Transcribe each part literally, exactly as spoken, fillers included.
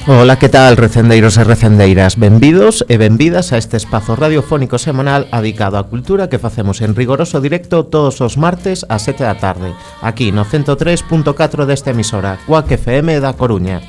Ola, que tal, recendeiros e recendeiras? Benvidos e benvidas a este espazo radiofónico semanal dedicado á cultura que facemos en rigoroso directo todos os martes ás sete da tarde, aquí no ciento tres punto catro desta emisora, Cuac F M da Coruña.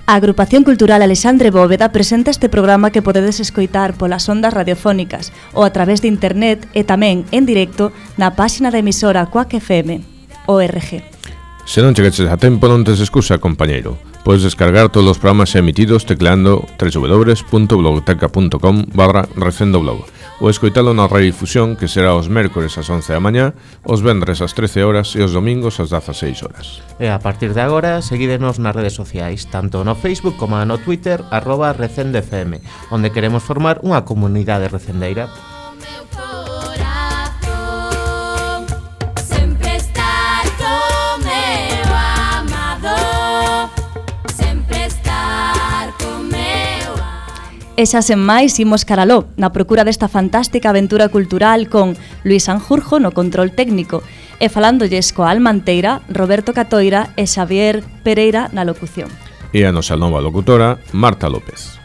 A Agrupación Cultural Alexandre Bóveda presenta este programa que podedes escoitar polas ondas radiofónicas ou a través de internet e tamén en directo na páxina da emisora Cuac F M punto org. Se non chegaches a tempo non tes excusa, compañeiro. Podes descargar todos os programas emitidos tecleando w w w punto blogteca punto com barra recendoblog ou escoitalo na redifusión que será os mércores ás once da mañá, os vendres ás trece horas e os domingos ás dezaseis horas. E a partir de agora, seguídenos nas redes sociais, tanto no Facebook como no Twitter, arroba recendefm, onde queremos formar unha comunidade recendeira. E xa sen máis, imos caraló, na procura desta fantástica aventura cultural con Luis Sanjurjo no control técnico e falándolles coa Almanteira, Roberto Catoira e Xavier Pereira na locución. E a nosa nova locutora, Marta López.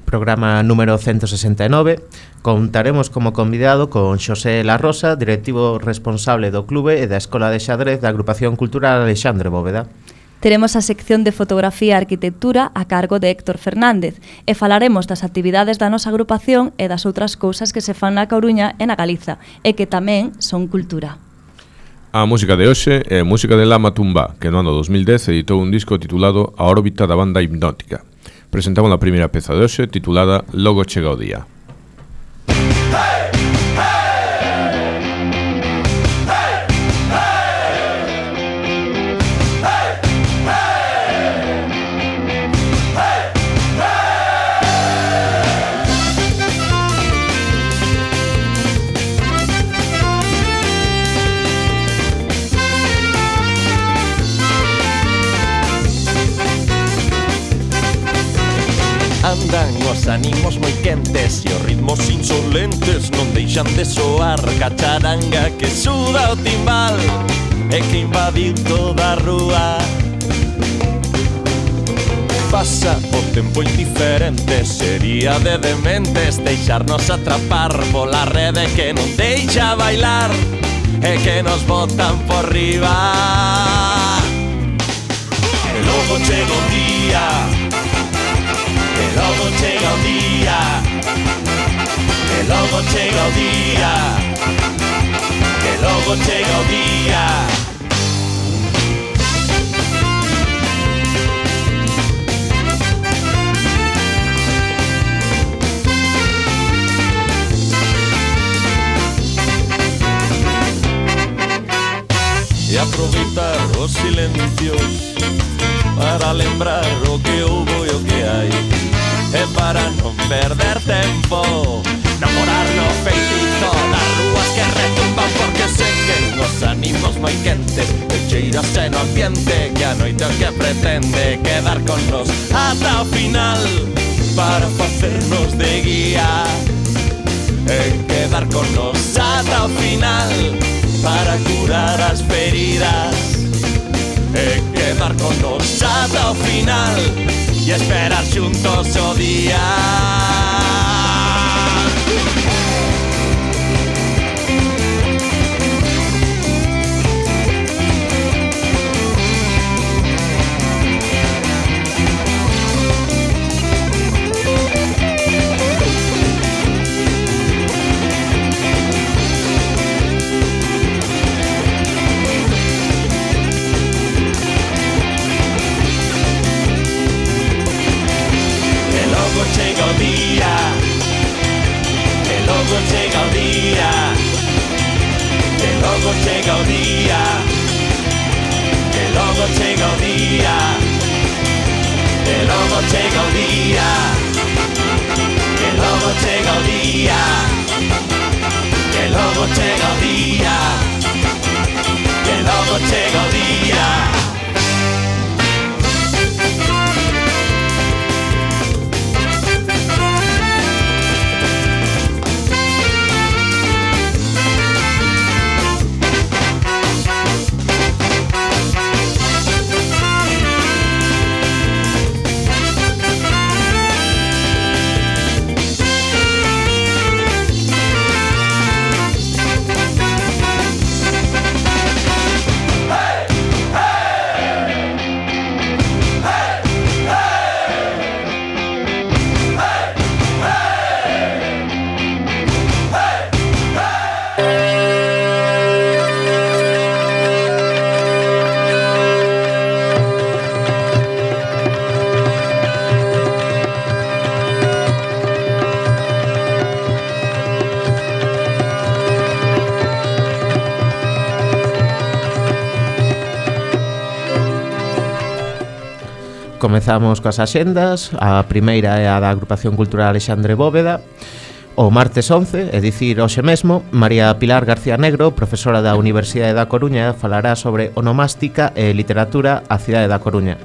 Programa número ciento sesenta e nove. Contaremos como convidado con Xosé La Rosa, directivo responsable do clube e da Escola de Xadrez da Agrupación Cultural Alexandre Bóveda. Teremos a sección de fotografía e arquitectura a cargo de Héctor Fernández e falaremos das actividades da nosa agrupación e das outras cousas que se fan na Coruña e na Galiza e que tamén son cultura. A música de hoxe é música de Lama Tumba, que no ano dos mil dez editou un disco titulado A órbita da banda hipnótica. Presentamos a primeira peza de hoxe titulada Logo chega o día. Andan os ánimos moi quentes e os ritmos insolentes non deixan de soar. Cacharanga que suda o timbal e que invadiu toda a rúa. Pasa o tempo indiferente, sería de dementes deixarnos atrapar pola rede que non deixa bailar e que nos botan por riba. E logo chega o día, que logo chega o día, que logo chega o día, que logo chega o día. E aproveitar os silencios para lembrar o que houbo e o que hai, e para non perder tempo namorar no feitizo das rúas que retumban, porque sei que os ánimos moi quentes e cheirase no ambiente que a noite o que pretende quedar con nos ata o final para facernos de guía e quedar con nos ata o final para curar as feridas e quedar con nos ata o final e esperar xuntos o día. día, que logo chega o día, que logo chega o día, que logo chega o día, que logo chega o día, que logo chega o día. Comezamos coas axendas. A primeira é a da Agrupación Cultural Alexandre Bóveda. O martes once, é dicir, hoxe mesmo, María Pilar García Negro, profesora da Universidade da Coruña, falará sobre onomástica e literatura á cidade da Coruña,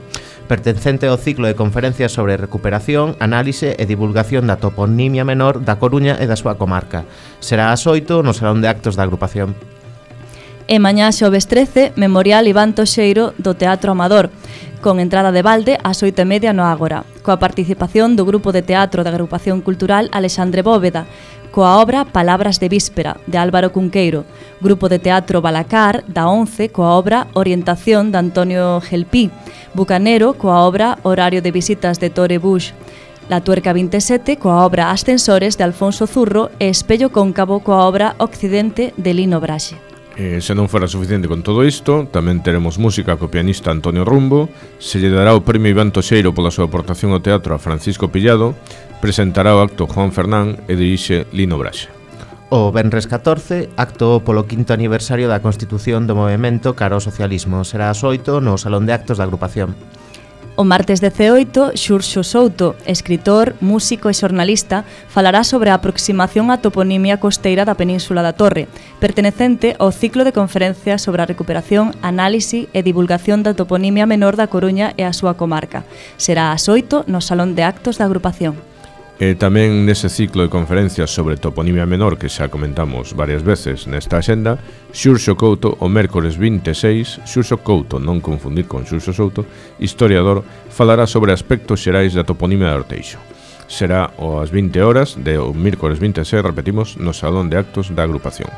pertencente ao ciclo de conferencias sobre recuperación, análise e divulgación da toponimia menor da Coruña e da súa comarca. Será ás oito no Salón de Actos da agrupación. E mañá xoves trece, Memorial Iván Toxeiro do Teatro Amador, con entrada de balde ás oito e media no Ágora, coa participación do Grupo de Teatro da Agrupación Cultural Alexandre Bóveda, coa obra Palabras de Víspera, de Álvaro Cunqueiro, Grupo de Teatro Balacar, da once, coa obra Orientación, de Antonio Gelpí, Bucanero, coa obra Horario de Visitas, de Tore Bush, La Tuerca vinte e sete, coa obra Ascensores, de Alfonso Zurro, e Espello Cóncavo, coa obra Occidente, de Lino Braxe. E se non fora suficiente con todo isto, tamén teremos música co pianista Antonio Rumbo, se lle dará o premio Iván Toxeiro pola súa aportación ao teatro a Francisco Pillado, presentará o acto Juan Fernán e dirixe Lino Braxe. O venres catorce, acto polo quinto aniversario da constitución do movemento cara ao socialismo. Será ás oito no Salón de Actos da agrupación. O martes dezaoito, Xurxo Souto, escritor, músico e xornalista, falará sobre a aproximación á toponimia costeira da Península da Torre, pertenecente ao ciclo de conferencias sobre a recuperación, análise e divulgación da toponimia menor da Coruña e a súa comarca. Será ás oito no Salón de Actos da agrupación. E tamén nese ciclo de conferencias sobre toponimia menor que xa comentamos varias veces nesta axenda, Xurxo Couto o mércores vinte e seis, Xurxo Couto, non confundir con Xurxo Souto, historiador, falará sobre aspectos xerais da toponimia de Orteixo. Será ás vinte horas de o mércores vinte e seis, repetimos, no Salón de Actos da agrupación.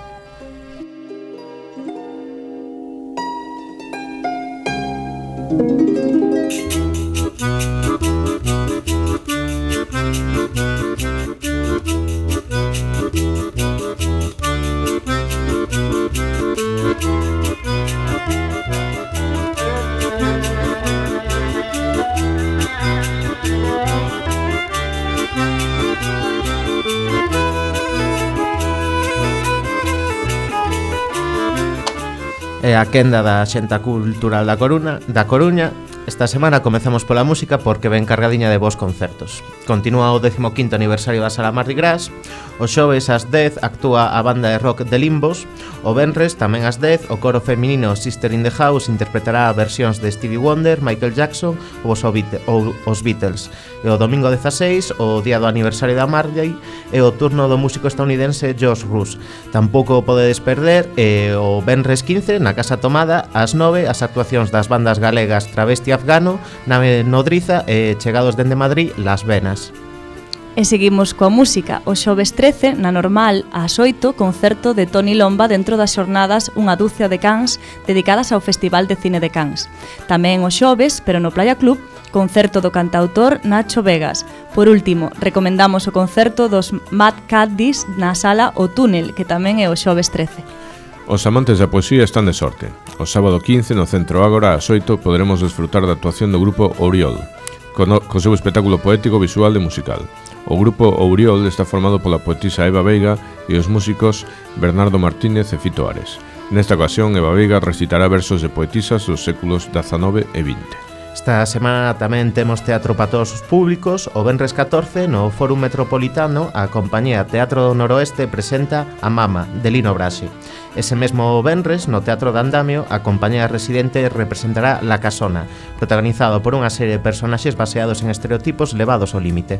E a quenda da Xenta Cultural da Coruña, da Coruña. Esta semana comezamos pola música porque ven cargadiña de bons concertos. Continúa o décimo quinto aniversario da Sala Mardi Gras. O xoves ás dez actúa a banda de rock de Limbos. O venres, tamén ás dez, o coro feminino Sister in the House interpretará versións de Stevie Wonder, Michael Jackson ou os Beatles. E o domingo dezaseis, o día do aniversario da Marley, é o turno do músico estadounidense Josh Russ. Tampouco o podedes perder e o venres quince, na Casa Tomada, ás nove, as actuacións das bandas galegas Travesti Afgano, Nave Nodriza e chegados dende Madrid, Las Venas. E seguimos coa música. O xoves trece, na Normal, ás oito, concerto de Toni Lomba dentro das xornadas Unha dúcia de cans dedicadas ao Festival de Cine de Cans. Tamén o xoves, pero no Playa Club, concerto do cantautor Nacho Vegas. Por último, recomendamos o concerto dos Mad Caddies na sala O Túnel, que tamén é o xoves trece. Os amantes da poesía están de sorte. O sábado quince, no Centro Ágora, ás oito, poderemos desfrutar da actuación do grupo Ouriol, co, no, co seu espectáculo poético, visual e musical. O grupo Ouriol está formado pola poetisa Eva Veiga e os músicos Bernardo Martínez e Fito Ares. Nesta ocasión, Eva Veiga recitará versos de poetisas dos séculos dezanove e vinte. Esta semana tamén temos teatro para todos os públicos. O venres catorce, no Fórum Metropolitano, a compañía Teatro do Noroeste presenta A Mama, de Lino Brasi. Ese mesmo venres, no Teatro de Andamio, a compañía residente representará La Casona, protagonizado por unha serie de personaxes baseados en estereotipos levados ao límite.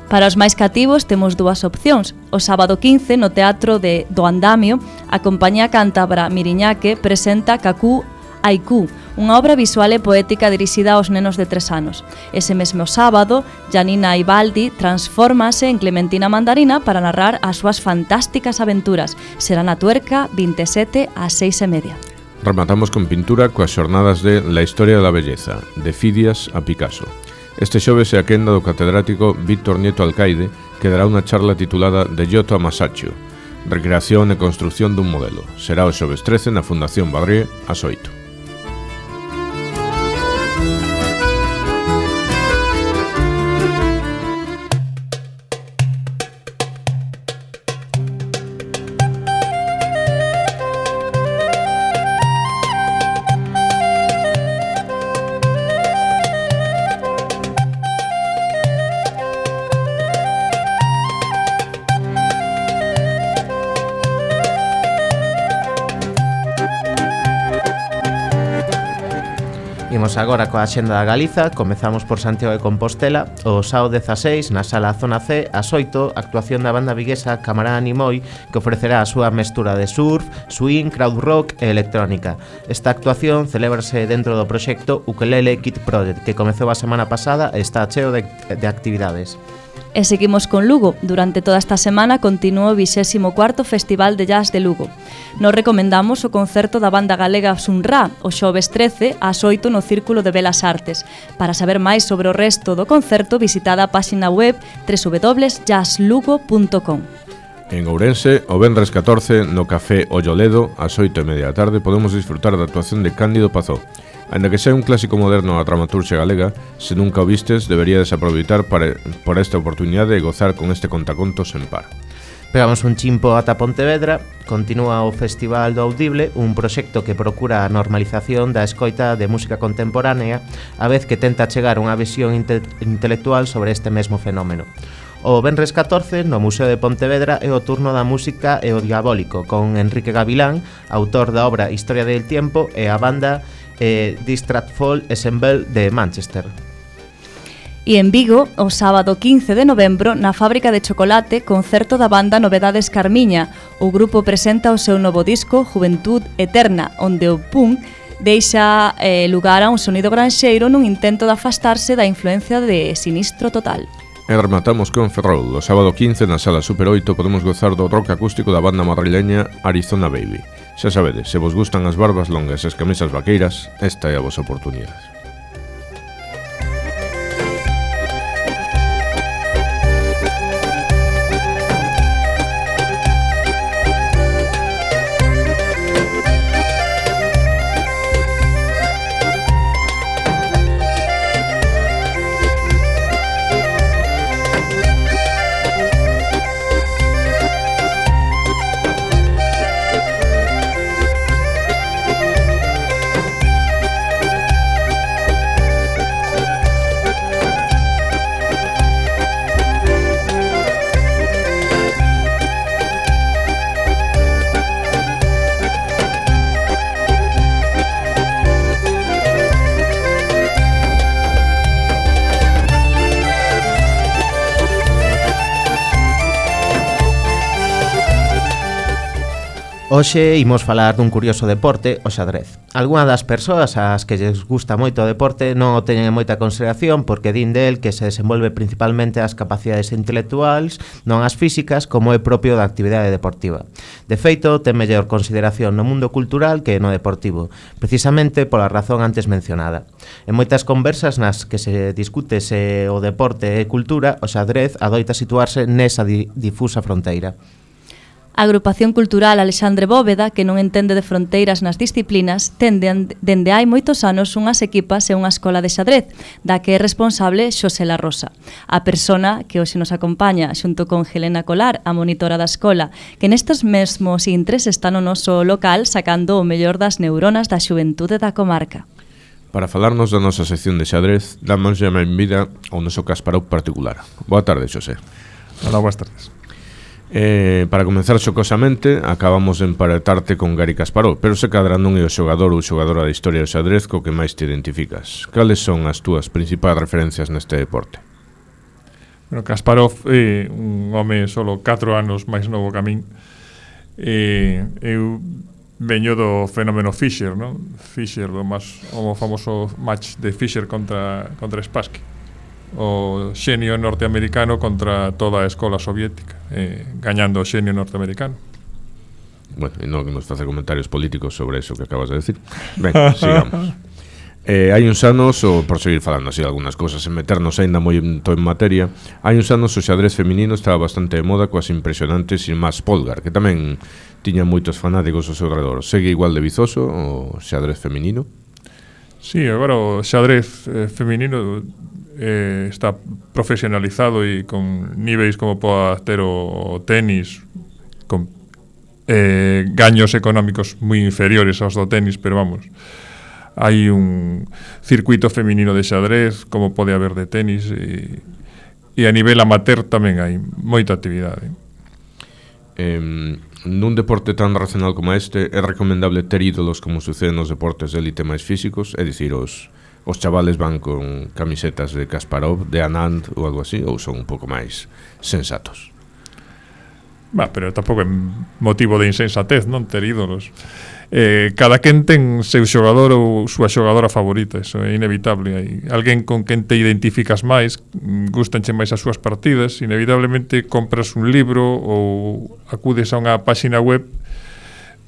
Para os máis cativos temos dúas opcións. O sábado quince, no Teatro de do Andamio, a compañía cántabra Miriñaque presenta Cacú Haiku, unha obra visual e poética dirixida aos nenos de tres anos. Ese mesmo sábado, Janina Ibaldi transfórmase en Clementina Mandarina para narrar as súas fantásticas aventuras. Será na Tuerca, vinte e sete ás seis e media. Rematamos con pintura coas xornadas de La historia da belleza, de Fidias a Picasso. Este xoves é a quenda do catedrático Víctor Nieto Alcaide, que dará unha charla titulada De Giotto a Masaccio, recreación e construción dun modelo. Será o xoves trece na Fundación Badrie ás oito. Imos agora coa axenda da Galiza. Comezamos por Santiago de Compostela. O sábado dezaseis, na sala Zona C, ás oito, actuación da banda viguesa Camarada Nimoy, que ofrecerá a súa mestura de surf, swing, crowd rock e electrónica. Esta actuación celébrase dentro do proxecto Ukelele Kid Project, que comezou a semana pasada e está cheo de, de actividades. E seguimos con Lugo. Durante toda esta semana continúa o vixésimo cuarto Festival de Jazz de Lugo. Nos recomendamos o concerto da banda galega Sunra, o xoves trece, ás oito no Círculo de Belas Artes. Para saber máis sobre o resto do concerto, visitada a páxina web doble u doble u doble u punto jazz lugo punto com. En Ourense, o venres catorce, no Café Olloledo, ás oito e media da tarde, podemos disfrutar da actuación de Cándido Pazó. Ainda que sea un clásico moderno da dramaturxia galega, se nunca o vistes, deberíades aproveitar para, por esta oportunidade e gozar con este contacontos en par. Pegamos un chimpo ata Pontevedra. Continúa o Festival do Audible, un proxecto que procura a normalización da escoita de música contemporánea, a vez que tenta chegar unha visión inte- intelectual sobre este mesmo fenómeno. O venres catorce, no Museo de Pontevedra, é o turno da música e o diabólico, con Enrique Gavilán, autor da obra Historia del Tiempo, e a banda eh, Distratful Ensemble de Manchester. E en Vigo, o sábado quince de novembro, na fábrica de chocolate, concerto da banda Novedades Carmiña. O grupo presenta o seu novo disco Juventud Eterna, onde o punk deixa eh, lugar a un sonido granxeiro nun intento de afastarse da influencia de Sinistro Total. E rematamos con Ferrol. O sábado quince, na sala Super oito, podemos gozar do rock acústico da banda madrileña Arizona Baby. Xa sabedes, se vos gustan as barbas longas e as camisas vaqueiras, esta é a vosa oportunidade. Hoxe imos falar dun curioso deporte, o xadrez. Algunha das persoas ás que lles gusta moito o deporte non o teñen en moita consideración porque din del que se desenvolve principalmente as capacidades intelectuais, non as físicas, como é propio da actividade deportiva. De feito, ten mellor consideración no mundo cultural que no deportivo, precisamente pola razón antes mencionada. En moitas conversas nas que se discute se o deporte é cultura, o xadrez adoita situarse nesa di- difusa fronteira. A Agrupación Cultural Alexandre Bóveda, que non entende de fronteiras nas disciplinas, ten dende hai moitos anos unhas equipas e unha escola de xadrez, da que é responsable Xosé La Rosa. A persona que hoxe nos acompaña, xunto con Helena Colar, a monitora da escola, que nestes mesmos intres está no noso local sacando o mellor das neuronas da xuventude da comarca. Para falarnos da nosa sección de xadrez, damos a benvida ao noso Kasparov particular. Boa tarde, Xosé. Hola, boas tardes. Eh, para comenzar xocosamente, acabamos de emparetarte con Gary Kasparov, pero se cadra non é o xogador ou xogadora da historia do xadrez co que máis te identificas. Cales son as túas principais referencias neste deporte? Bueno, Kasparov é un home solo catro anos máis novo que a min. E eu veño do fenómeno Fischer, non? Fischer, do máis, o famoso match de Fischer contra, contra Spassky, o xenio norteamericano contra toda a escola soviética, eh, gañando o xenio norteamericano. Bueno, e non nos facer comentarios políticos sobre eso que acabas de decir. Ben, sigamos. Eh, hai uns anos, ou por seguir falando así algunas cousas, en meternos aínda moi en materia, hai uns anos o xadrez feminino estaba bastante de moda coas impresionantes Yilmaz Polgar, que tamén tiña moitos fanáticos ao seu redor. Segue igual de vizoso o xadrez feminino? Sí, agora o xadrez eh, feminino eh, está profesionalizado e con niveis como poda ter o, o tenis, con eh, gaños económicos moi inferiores aos do tenis, pero vamos, hai un circuito feminino de xadrez como pode haber de tenis, e, e a nivel amateur tamén hai moita actividade. Eh, nun deporte tan racional como este, é recomendable ter ídolos como sucede nos deportes de élite máis físicos, é dicir, os os chavales van con camisetas de Kasparov, de Anand ou algo así, ou son un pouco máis sensatos? Bah, pero tampouco é motivo de insensatez, non, ter ídolos. Eh, cada quen ten seu xogador ou súa xogadora favorita, eso é inevitable. Hai alguén con quen te identificas máis, gustanche máis as súas partidas, inevitablemente compras un libro ou acudes a unha páxina web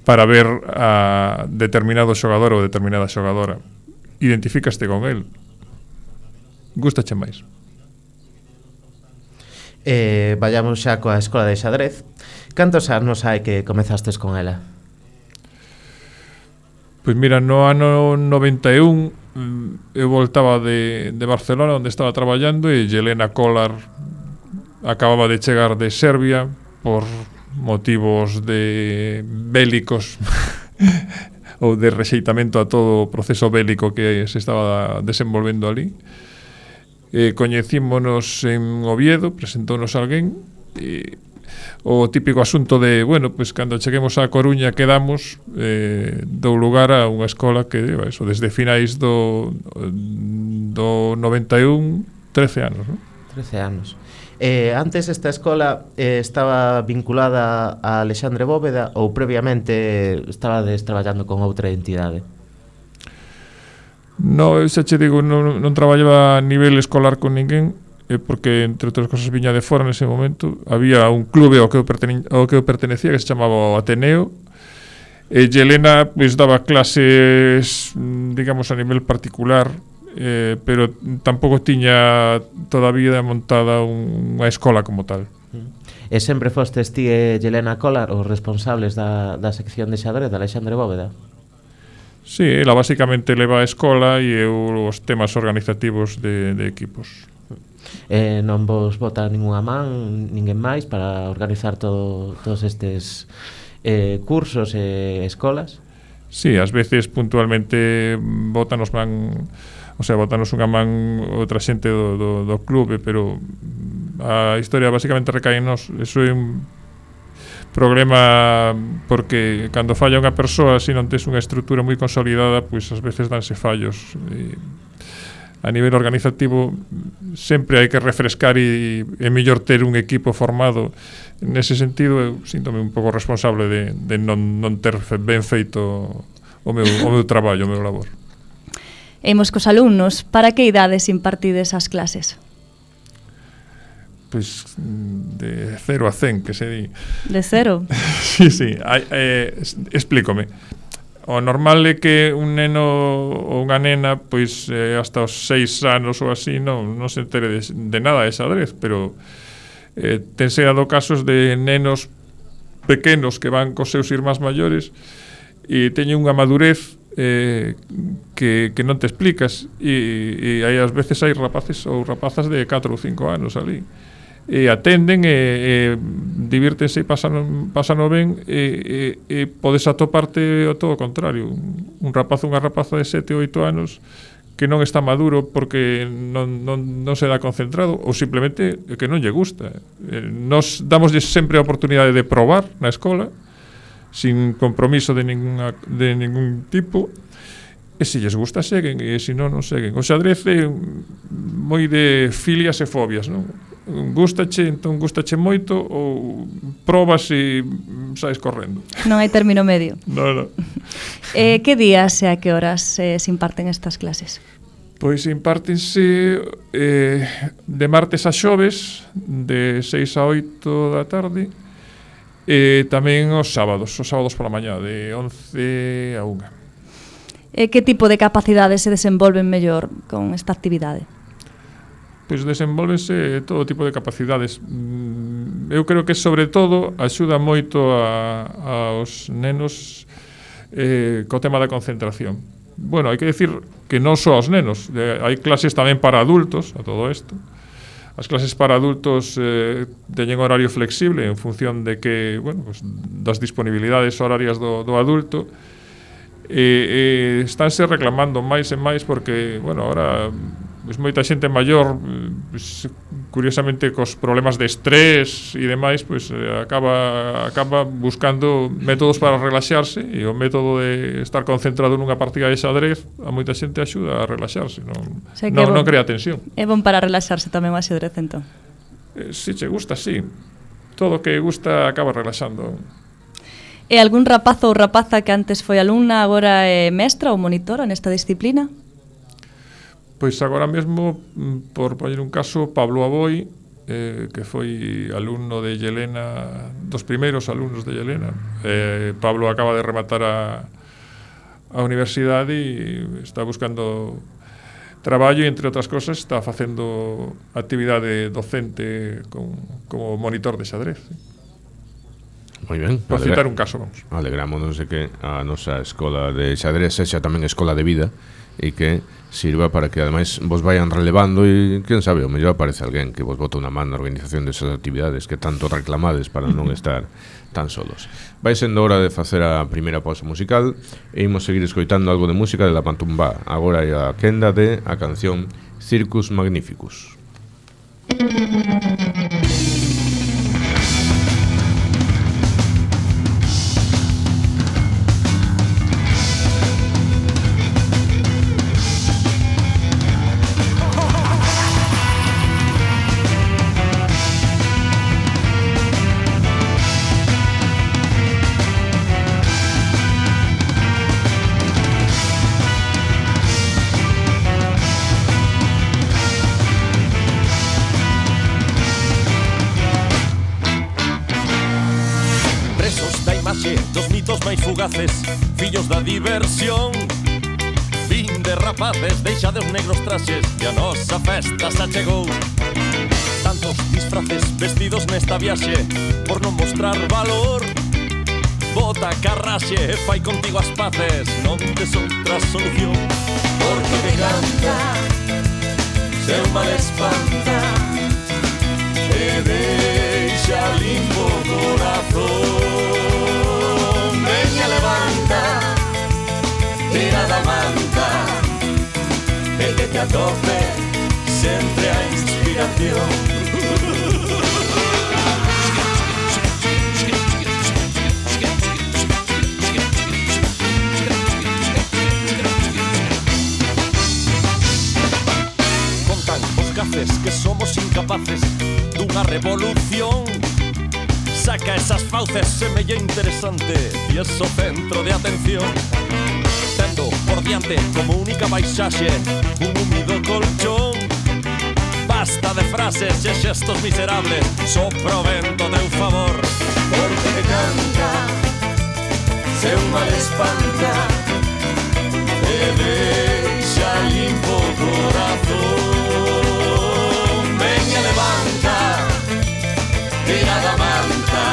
para ver a determinado xogador ou determinada xogadora. Identificaste con el, gustache máis. Eh, vayamos xa coa escola de xadrez. Cantos anos hai que comezastes con ela? Pois mira, no ano noventa e un eu voltaba de, de Barcelona, onde estaba traballando, e Helena Kolar acababa de chegar de Serbia por motivos de bélicos ou de rexeitamento a todo o proceso bélico que se estaba desenvolvendo ali. Eh, coñecímonos en Oviedo, presentounos alguén, e o típico asunto de, bueno, pues cando cheguemos a Coruña quedamos, eh, dou lugar a unha escola que, eso, desde finais do, do noventa e un, trece anos, non? trece anos. Eh, antes esta escola eh, estaba vinculada a Alexandre Bóveda ou previamente estabades traballando con outra entidade? No, xa che digo, non, non traballaba a nivel escolar con ninguén, eh, porque entre outras cosas viña de fora nese momento. Había un clube ao que eu, pertene, ao que eu pertenecía que se chamaba o Ateneo, e Helena pues, daba clases, digamos, a nivel particular, Eh, pero tampouco tiña todavía montada un, unha escola como tal. E sempre fostes ti e Helena Kolar os responsables da, da sección de xadrez de Alexandre Bóveda? Sí, ela basicamente leva a escola e eu os temas organizativos de, de equipos. E non vos bota ninguna man, ninguén máis para organizar todo, todos estes eh, cursos e escolas? Sí, ás veces puntualmente botanos man, o sea, botanos unha man outra xente do, do, do clube, pero a historia basicamente recae en nos. Eso é un problema porque cando falla unha persoa, se non tes unha estrutura moi consolidada, pois ás veces danse fallos. E a nivel organizativo sempre hai que refrescar e é mellor ter un equipo formado. Nese sentido eu síntome un pouco responsable de, de non, non ter ben feito o meu, o meu traballo, o meu labor. Imos cos alumnos, para que idades impartides as clases? Pois de cero a cen, que se di. De cero? Sí, sí, hai, eh, explícome. O normal é que un neno ou unha nena, pois eh, hasta os seis anos ou así non, non se entere de, de nada de xadrez, pero eh, tense dado casos de nenos pequenos que van cos seus irmáns maiores e teñen unha madurez eh, que, que non te explicas e, e aí ás veces hai rapaces ou rapazas de catro ou cinco anos ali e atenden e, e divírtense e pasan, pasan ben e, e, e podes atoparte o todo o contrario, un rapaz ou unha rapaza de sete ou oito anos que non está maduro porque non, non, non se dá concentrado ou simplemente que non lle gusta. Eh, nos damoslle sempre a oportunidade de probar na escola sin compromiso de, ninguna, de ningún tipo e se lles gusta seguen e se non, non seguen. O xadrez é moi de filias e fobias, non? Gústache, entón gústache moito ou probas e saes correndo. Non hai término medio. No, no. eh, que días e a que horas eh, se imparten estas clases? Pois impártense eh, de martes a xoves de seis a oito da tarde e tamén os sábados, os sábados pola mañá de once a unha. E que tipo de capacidades se desenvolven mellor con esta actividade? Pois desenvolvense todo tipo de capacidades. Eu creo que sobre todo axuda moito a, aos nenos eh, co tema da concentración. Bueno, hai que decir que non só aos nenos, de, hai clases tamén para adultos a todo isto. As clases para adultos eh, teñen horario flexible en función de que, bueno, pues, das disponibilidades horarias do, do adulto e, e estánse reclamando máis e máis porque, bueno, ahora pues, moita xente maior pues, curiosamente cos problemas de estrés e demais pues, acaba, acaba buscando métodos para relaxarse e o método de estar concentrado nunha partida de xadrez a moita xente axuda a relaxarse, non, o sea, non, bon, non crea tensión. É bon para relaxarse tamén o xadrez, entón? Eh, si che gusta, sí. Todo o que gusta acaba relaxando. E algún rapazo ou rapaza que antes foi alumna agora é mestra ou monitora nesta disciplina? Pois agora mesmo, por poñer un caso, Pablo Aboi, eh, que foi alumno de Yelena, dos primeiros alumnos de Yelena. Eh, Pablo acaba de rematar a, a universidade e está buscando traballo e, entre outras cosas, está facendo actividade docente con, como monitor de xadrez. Moi ben. Por citar un caso, vamos. Alegrámonos de que a nosa escola de xadrez sexa tamén escola de vida e que sirva para que ademais vos vayan relevando e, quen sabe, o mellor aparece alguén que vos bota unha man na organización desas actividades que tanto reclamades para non estar tan solos. Vai sendo hora de facer a primeira pausa musical e imos seguir escoitando algo de música de La Pantumbá. Agora é a quenda de a canción Circus Magnificus. Dos mitos máis fugaces, fillos da diversión. Vin de rapaces, deixa de os negros traxes e a nosa festa xa chegou. Tantos disfraces vestidos nesta viaxe por non mostrar valor. Bota carraxe e fai contigo as paces, non tes outra solución. Porque te canta, se un mal espanta e deixa limpo o corazón. Veña, levanta, tira da manta e que te atope sempre a inspiración. Contan os gaces que somos incapaces dunha revolución. Saca esas fauces, semella interesante e es o centro de atención. Tendo por diante como única paisaxe un húmido colchón. Basta de frases e xestos miserables, só provento teu favor. Porque te canta, se un mal espanta e deixa limpo o corazón. Veña, levanta, tira da manta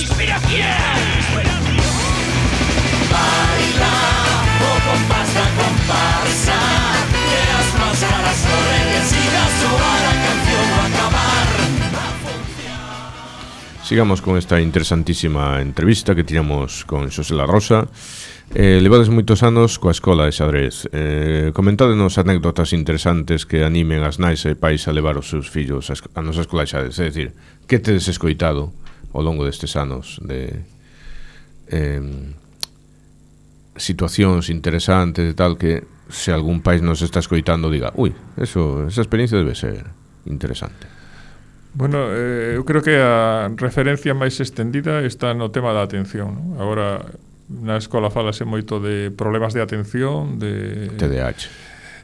Inspiración. Baila o compás da comparsa, que as máscaras corren que siga a soar a canción o acabar a función. Sigamos con esta interesantísima entrevista que tiramos con Xosé La Rosa. Eh, levades moitos anos coa escola de xadrez. Eh, comentádenos anécdotas interesantes que animen as nais e pais a levar os seus fillos a, a nosa escola de xadrez. É dicir, que tedes escoitado ao longo destes anos de eh, situacións interesantes e tal, que se algún país nos está escoitando diga, ui, eso, esa experiencia debe ser interesante. Bueno, eh, eu creo que a referencia máis extendida está no tema da atención, ¿no? Agora, na escola falase moito de problemas de atención, de T D A H.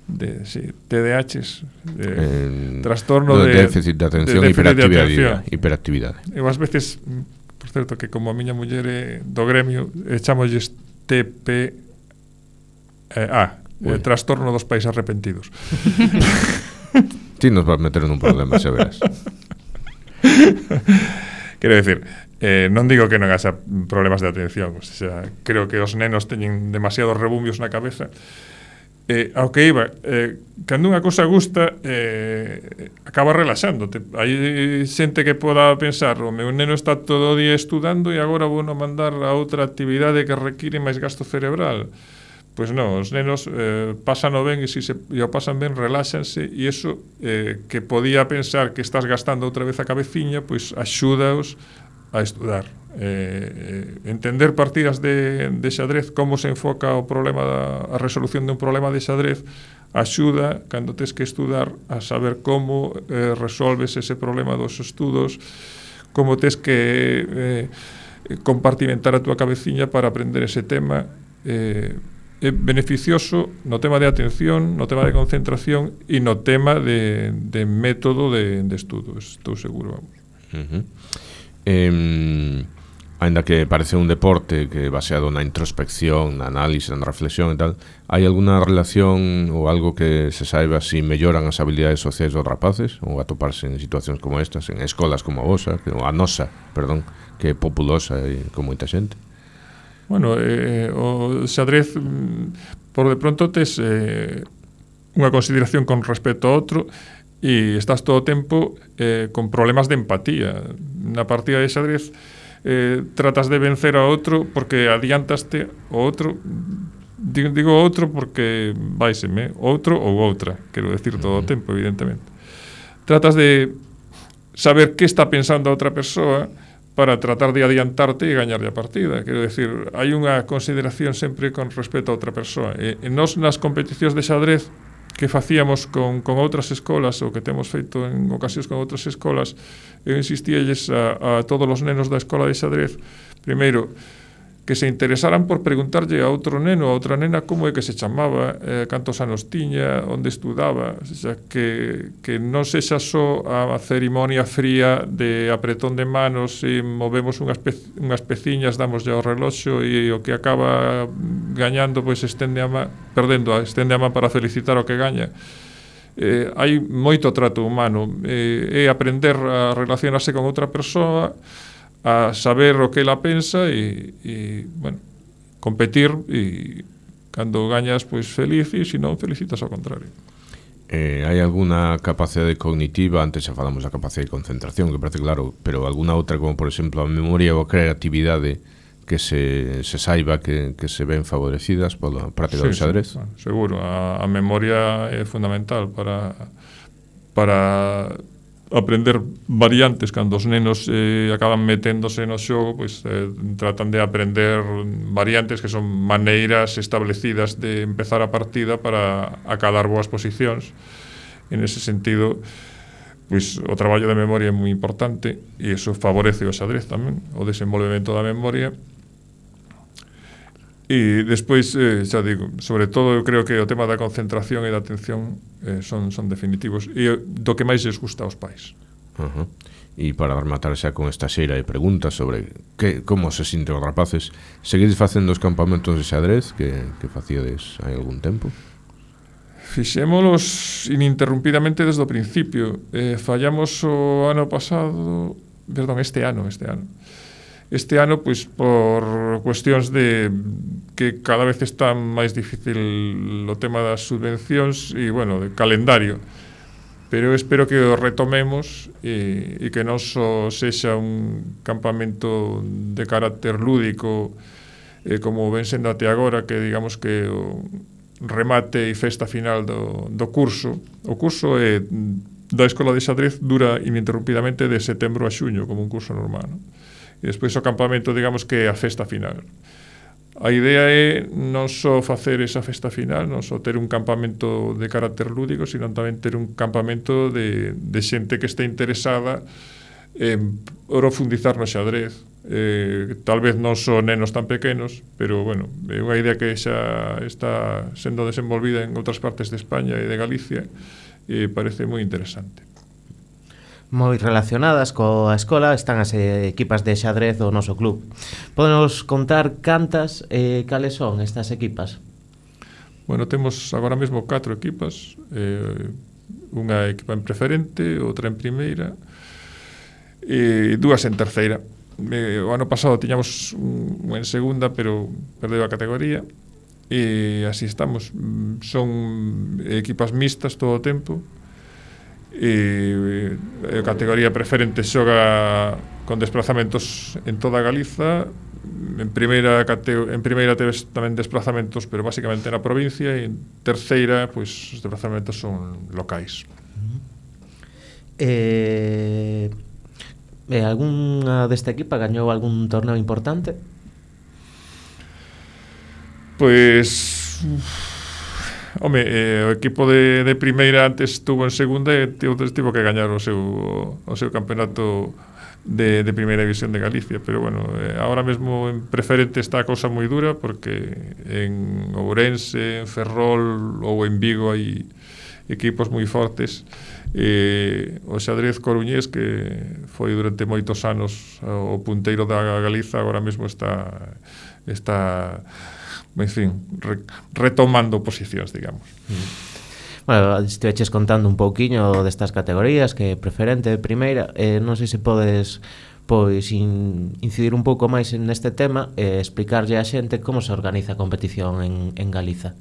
De, sí, T D A Hs, de Eh, trastorno no, de déficit de atención de e hiperactividade, atención. hiperactividade. Eu ás veces, por certo, que como a miña muller é do gremio, echamolles T P A, eh, trastorno dos pais arrepentidos. Ti nos vas meter nun problema, xa verás. Quero decir, eh, non digo que non haxa problemas de atención, o sea, creo que os nenos teñen demasiados rebumbios na cabeza. Eh, ao que iba, eh, cando unha cosa gusta, eh, acaba relaxándote. Hai xente que poda pensar, o meu neno está todo o día estudando e agora vou non mandar a outra actividade que require máis gasto cerebral. Pois non, os nenos eh, pasan o ben e se si se, e o pasan ben, reláxanse, e iso eh, que podía pensar que estás gastando outra vez a cabeciña, pois axúdaos a estudar. Eh, eh, entender partidas de, de xadrez, como se enfoca o problema da, a resolución de un problema de xadrez, axuda, cando tes que estudar, a saber como eh, resolves ese problema dos estudos, como tes que eh, compartimentar a túa cabeciña para aprender ese tema. eh, É beneficioso no tema de atención, no tema de concentración e no tema de, de método de, de estudo, estou seguro, vamos. Uh-huh. Eh, ainda que parece un deporte que baseado na introspección, na análise, na reflexión e tal, hai alguna relación ou algo que se saiba si melloran as habilidades sociais dos rapaces ou atoparse en situacións como estas, en escolas como a vosa, que, a nosa, perdón, que é populosa e con moita xente? Bueno, eh, o xadrez, por de pronto, tes eh, unha consideración con respecto a outro e estás todo o tempo eh, con problemas de empatía. Na partida de xadrez eh, tratas de vencer a outro porque adiantaste o outro. Digo, digo outro porque vaiseme, outro ou outra, quero decir todo o tempo, evidentemente. Tratas de saber que está pensando a outra persoa para tratar de adiantarte e gañarlle a partida. Quero decir, hai unha consideración sempre con respecto a outra persoa. E, e nós nas competicións de xadrez que facíamos con, con outras escolas ou que temos feito en ocasións con outras escolas, eu insistíalles a, a todos os nenos da escola de xadrez, primeiro, que se interesaran por preguntarlle a outro neno, a outra nena, como é que se chamaba, eh, cantos anos tiña, onde estudaba, o sea, que, que non sexa só a cerimonia fría de apretón de manos e movemos unhas, pe, unhas peciñas, damos ao reloxo e o que acaba gañando, pois estende a man, perdendo, estende a man para felicitar o que gaña. Eh, hai moito trato humano, eh, é aprender a relacionarse con outra persoa, a saber o que ela pensa e, e bueno, competir, e cando gañas, pois feliz, e se non, felicitas ao contrario. Eh, hai alguna capacidade cognitiva, antes xa falamos da capacidade de concentración, que parece claro, pero alguna outra, como por exemplo a memoria ou a creatividade, que se, se saiba que, que se ven favorecidas pola práctica sí, do xadrez? Sí, bueno, seguro, a, a memoria é fundamental para para aprender variantes. Cando os nenos eh, acaban meténdose no xogo, pois eh, tratan de aprender variantes que son maneiras establecidas de empezar a partida para acadar boas posicións. En ese sentido, pois o traballo de memoria é moi importante e iso favorece o xadrez tamén, o desenvolvemento da memoria. E despois, eh, xa digo, sobre todo eu creo que o tema da concentración e da atención eh, son, son definitivos e do que máis lles gusta aos pais. Uh-huh. E para rematar xa con esta xeira de preguntas sobre que, como se sinten os rapaces, seguides facendo os campamentos de xadrez que, que facíades hai algún tempo? Fixémolos ininterrumpidamente desde o principio. Eh, fallamos o ano pasado, perdón, este ano, este ano. este ano, pois, por cuestións de que cada vez está máis difícil o tema das subvencións e, bueno, de calendario. Pero eu espero que o retomemos e, e que non só sexa un campamento de carácter lúdico eh, como ven sendo até agora, que digamos que o remate e festa final do, do curso. O curso é da Escola de Xadrez dura ininterrumpidamente de setembro a xuño, como un curso normal, non? E despois o campamento, digamos que é a festa final. A idea é non só facer esa festa final, non só ter un campamento de carácter lúdico, sino tamén ter un campamento de, de xente que este interesada en profundizar no xadrez. Eh, tal vez non son nenos tan pequenos, pero, bueno, é unha idea que xa está sendo desenvolvida en outras partes de España e de Galicia e parece moi interesante. Moi relacionadas coa escola están as equipas de xadrez do noso club. Podenos contar cantas e eh, cales son estas equipas? Bueno, temos agora mesmo catro equipas, eh, unha equipa en preferente, outra en primeira e dúas en terceira. Eh, o ano pasado tiñamos un en segunda, pero perdeu a categoría e así estamos. Son equipas mixtas todo o tempo e a categoría preferente xoga con desplazamentos en toda Galiza. En primeira en primeira teves tamén desplazamentos, pero basicamente na provincia, e en terceira, pois, os desplazamentos son locais. Eh, eh, algunha desta equipa gañou algún torneo importante? Pois... Home, eh, o equipo de, de primeira antes estuvo en segunda e tivo que gañar o seu, o seu campeonato de, de primeira división de Galicia, pero bueno, eh, ahora mesmo en preferente está a cousa moi dura, porque en Ourense, en Ferrol ou en Vigo hai equipos moi fortes. Eh, o xadrez coruñés, que foi durante moitos anos o punteiro da Galiza, agora mesmo está está en fin, re, retomando posicións, digamos. Bueno, estiveches contando un pouquiño destas categorías, que preferente, primeira, eh, non sei se podes pois in, incidir un pouco máis neste tema e eh, explicarlle á xente como se organiza a competición en, en Galiza.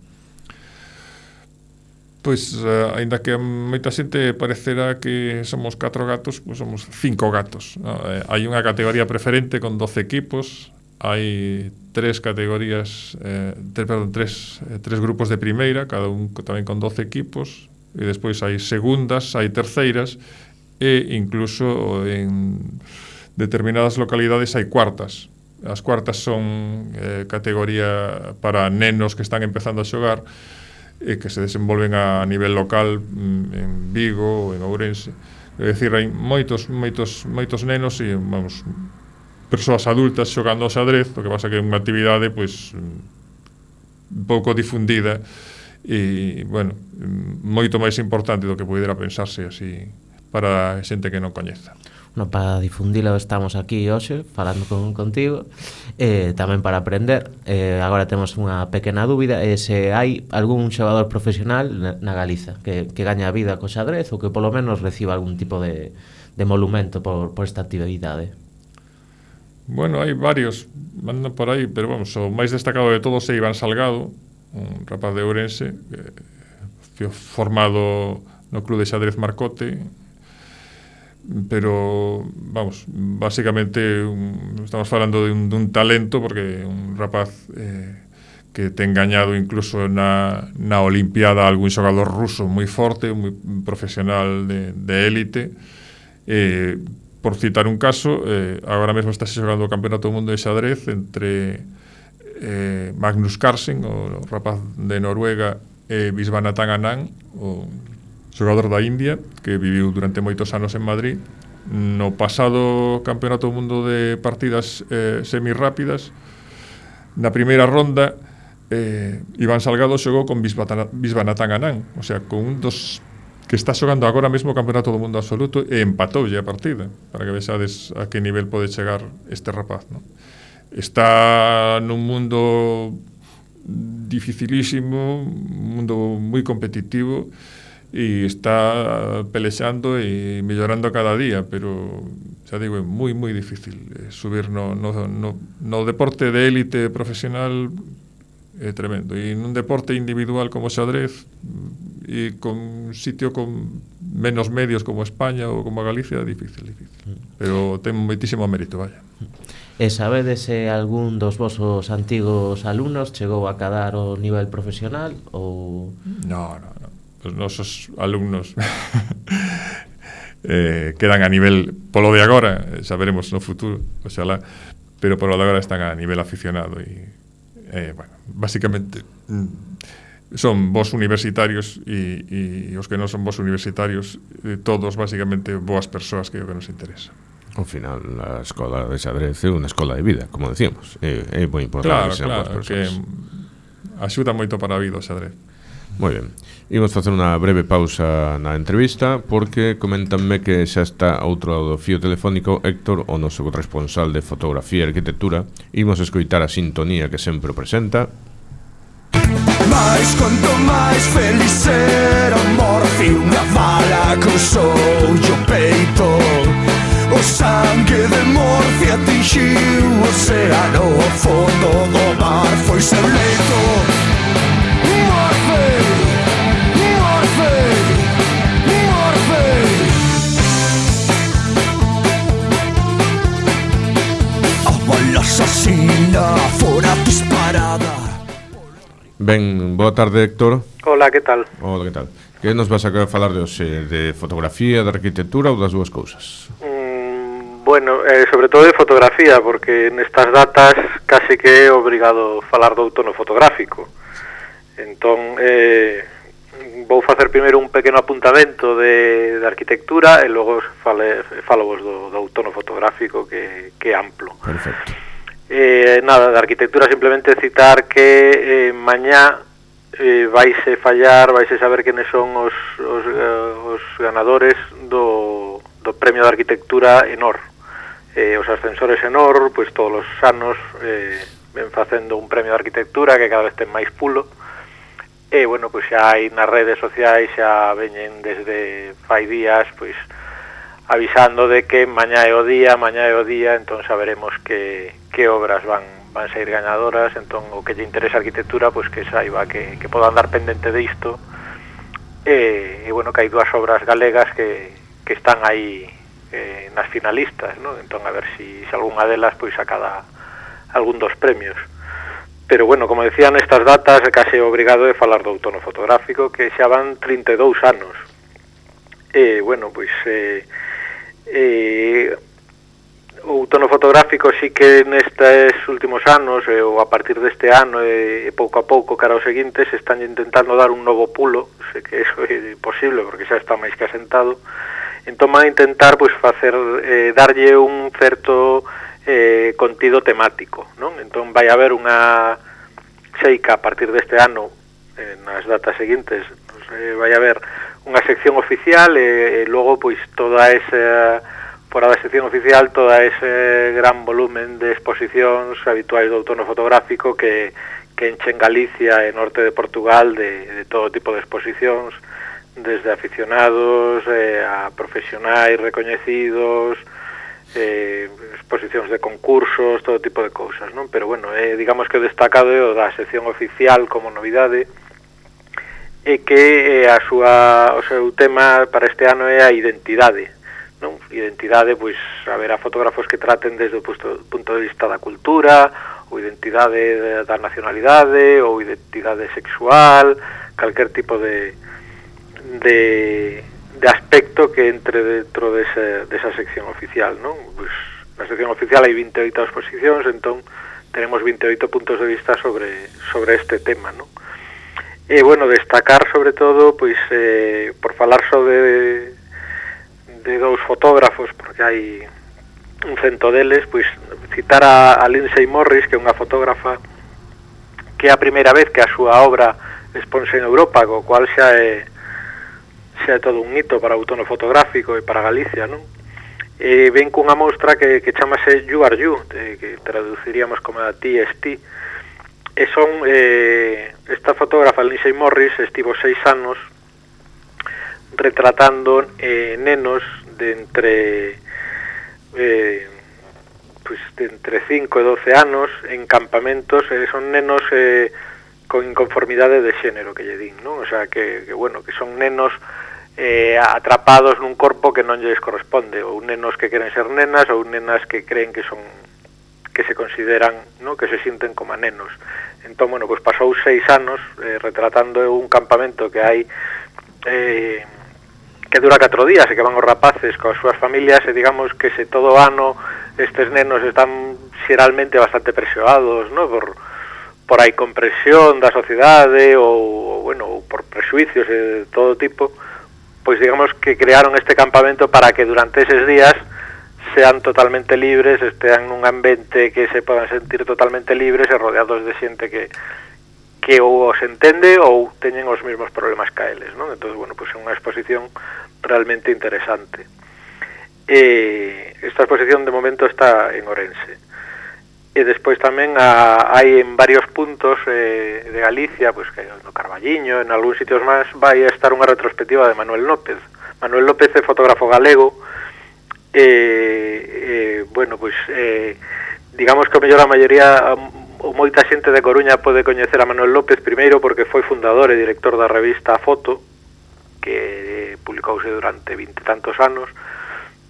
Pois, uh, aínda que a moita xente parecerá que somos catro gatos, pois somos cinco gatos, no? Eh, hai unha categoría preferente con doce equipos, hai tres categorías, eh, tres, perdón, tres, eh, tres grupos de primeira, cada un tamén con doce equipos, e despois hai segundas, hai terceiras, e incluso en determinadas localidades hai cuartas. As cuartas son eh, categoría para nenos que están empezando a xogar e que se desenvolven a nivel local en Vigo ou en Ourense. É dicir, hai moitos, moitos, moitos nenos e, vamos, persoas adultas xogando ao xadrez, o que pasa que é unha actividade pois un pouco difundida e, bueno, moito máis importante do que poidera pensarse así para a xente que non coñeza. No, para difundilo estamos aquí hoxe falando con, contigo e eh, tamén para aprender. Eh, agora temos unha pequena dúbida, eh, se hai algún xogador profesional na, na Galiza que, que gaña a vida co xadrez ou que polo menos reciba algún tipo de, de monumento por, por esta actividade. Bueno, hai varios, mandan por aí, pero vamos, o máis destacado de todos é Iván Salgado, un rapaz de Ourense, que formado no Club de Xadrez Marcote, pero, vamos, basicamente un, estamos falando de un, de un talento, porque un rapaz eh, que ten gañado incluso na, na Olimpiada algún xogador ruso moi forte, moi profesional de, de élite. Eh, por citar un caso, eh, agora mesmo está xogando o Campeonato do Mundo de Xadrez entre eh, Magnus Carlsen, o rapaz de Noruega, e Viswanathan Anand, o xogador da India, que viviu durante moitos anos en Madrid. No pasado Campeonato do Mundo de partidas eh, semirápidas, na primeira ronda, eh, Iván Salgado xogou con Viswanathan Anand, o sea, con un dos que está xogando agora mesmo o Campeonato do Mundo absoluto, e empatoulle a partida, para que vexades a que nivel pode chegar este rapaz, non? Está nun mundo dificilísimo, un mundo moi competitivo, e está pelexando e mellorando cada día, pero xa digo, é moi, moi difícil eh, subir no, no, no, no deporte de élite profesional, é tremendo. E nun deporte individual como o xadrez, e con un sitio con menos medios como España ou como Galicia, é difícil, difícil. Pero ten moitísimo mérito, vaya. E sabedes se algún dos vosos antigos alumnos chegou a cadar o nivel profesional ou... No, no, no. Os nosos alumnos eh, quedan a nivel, polo de agora, xa veremos no futuro, oxalá, pero polo de agora están a nivel aficionado e, eh, bueno, básicamente son vos universitarios e, e os que non son vos universitarios, eh, todos básicamente boas persoas, que é o que nos interesa. Ao final, a escola de xadrez é unha escola de vida, como decíamos. É, é moi importante. Claro, claro, que axuda moito para a vida o xadrez. Moi ben. Imos facer unha breve pausa na entrevista, porque comentanme que xa está outro lado do fío telefónico Héctor, o noso responsable de fotografía e arquitectura. Imos escoitar a sintonía que sempre o presenta. Mais quanto máis feliz ser a morte, unha bala cruzou o peito. O sangue de morte atingiu o océano, o fondo do mar foi seu leito. Morte, morte, morte. A bala asasina fora disparada. Ben, boa tarde, Héctor. Hola, que tal? Hola, que tal? Que nos vas a falar de hoxe? De fotografía, de arquitectura ou das dúas cousas? Mm, bueno, eh, sobre todo de fotografía, porque nestas datas casi que é obrigado falar do outono fotográfico. Entón, eh, vou facer primeiro un pequeno apuntamento de, de arquitectura e logo fale, falo vos do, do outono fotográfico, que, que é amplo. Perfecto. Eh, nada, de arquitectura simplemente citar que eh, mañá eh, vaise fallar, vaise saber quenes son os, os, uh, os ganadores do, do premio de arquitectura Enor. Eh, os ascensores Enor, pois todos os anos eh, ven facendo un premio de arquitectura que cada vez ten máis pulo. E, bueno, pois xa hai nas redes sociais, xa veñen desde fai días, pois avisando de que mañá é o día, mañá é o día, entón saberemos que, que obras van, van ser gañadoras. Entón o que lle interesa a arquitectura, pois que saiba que, que poda andar pendente de isto. E, e bueno, que hai dúas obras galegas que, que están aí eh, nas finalistas, ¿no? Entón a ver si, si algunha delas pois acada algún dos premios. Pero bueno, como decía, nestas datas é case obrigado de falar do outono fotográfico, que xa van trinta e dous anos. E bueno, pois eh, eh, o outono fotográfico sí que nestes últimos anos, eh, ou a partir deste ano e eh, pouco a pouco cara aos seguintes, están intentando dar un novo pulo. Sei que eso é posible porque xa está máis que asentado. Entón van a intentar pois facer eh, darlle un certo eh, contido temático, non? Entón vai haber unha seica a partir deste ano, eh, nas datas seguintes, pues, eh, vai haber unha sección oficial e, e logo pois toda esa, fora da sección oficial, toda ese gran volumen de exposicións habituais do outono fotográfico que, que enchen Galicia e norte de Portugal de, de todo tipo de exposicións, desde aficionados eh, a profesionais recoñecidos, eh, exposicións de concursos, todo tipo de cousas, non? Pero bueno, eh, digamos que o destacado é o da sección oficial como novidade, e que eh, a súa, o seu tema para este ano é a identidade, non? Identidade, pois, haberá fotógrafos que traten desde o punto, punto de vista da cultura, ou identidade da nacionalidade, ou identidade sexual, calquer tipo de, de, de aspecto que entre dentro desa, desa sección oficial, non? Pois, na sección oficial hai vinte e oito exposicións, entón tenemos vinte e oito puntos de vista sobre, sobre este tema, non? E, bueno, destacar sobre todo, pois, eh, por falar sobre de, de dous fotógrafos, porque hai un cento deles, pois, citar a, a Lindsay Morris, que é unha fotógrafa que é a primeira vez que a súa obra exponse en Europa, co cual xa é, xa é todo un hito para o outono fotográfico e para Galicia, non? E ven cunha mostra que, que chamase You Are You, de, que traduciríamos como a T S T. E son, eh, esta fotógrafa Lindsay Morris estivo seis anos retratando eh, nenos de entre eh, pues, de entre cinco e doce anos en campamentos, eh, son nenos eh, con inconformidade de xénero, que lle din, non? O sea, que, que bueno, que son nenos eh, atrapados nun corpo que non lles corresponde, ou nenos que queren ser nenas, ou nenas que creen que son que se consideran, ¿no?, que se sinten como nenos. Entón, bueno, pues pasou seis anos eh, retratando un campamento que hai eh, que dura catro días e que van os rapaces coas súas familias e digamos que se todo o ano estes nenos están xeralmente bastante presioados, ¿no?, por, por a incompresión da sociedade ou, ou bueno, ou por prejuicios de todo tipo, pois digamos que crearon este campamento para que durante eses días sean totalmente libres, estean nun ambiente que se podan sentir totalmente libres e rodeados de xente que que ou os entende ou teñen os mesmos problemas que eles, non? Entón, bueno, pues é unha exposición realmente interesante. E esta exposición de momento está en Ourense. E despois tamén a, hai en varios puntos eh, de Galicia, pues que no Carballiño, en algúns sitios máis, vai a estar unha retrospectiva de Manuel López. Manuel López é fotógrafo galego. Eh, eh, bueno, pois eh, digamos que o mellor a maioría ou moita xente de Coruña pode coñecer a Manuel López primeiro porque foi fundador e director da revista Foto, que publicouse durante vinte e tantos anos,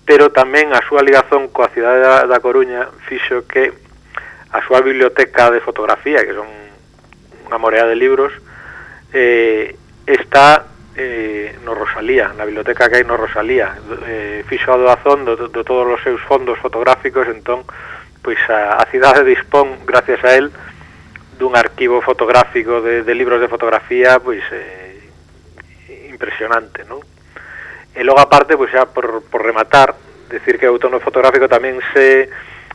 pero tamén a súa ligazón coa cidade da, da Coruña fixo que a súa biblioteca de fotografía, que son unha morea de libros, eh, está Eh, no Rosalía, na biblioteca que hai no Rosalía, eh, fixo a doazón de, de todos os seus fondos fotográficos. Entón, pois a, a cidade dispón, gracias a él, dun arquivo fotográfico de, de libros de fotografía pois eh, impresionante, non? E logo aparte, pois xa por, por rematar, decir que o outono fotográfico tamén se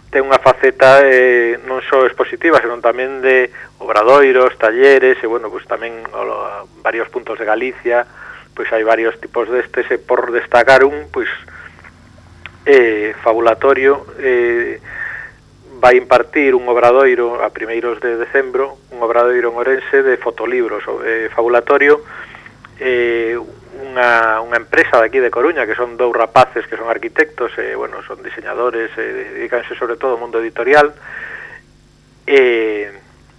ten unha faceta eh, non só expositiva, senón tamén de obradoiros, talleres, e bueno, pues tamén o, varios puntos de Galicia, pois hai varios tipos destes, e por destacar un, pois eh, Fabulatorio eh, vai impartir un obradoiro a primeiros de decembro, un obradoiro en Ourense de fotolibros. eh, Fabulatorio eh, unha, unha empresa de aquí de Coruña, que son dous rapaces que son arquitectos, e, bueno, son diseñadores, e dedicanse sobre todo ao mundo editorial, e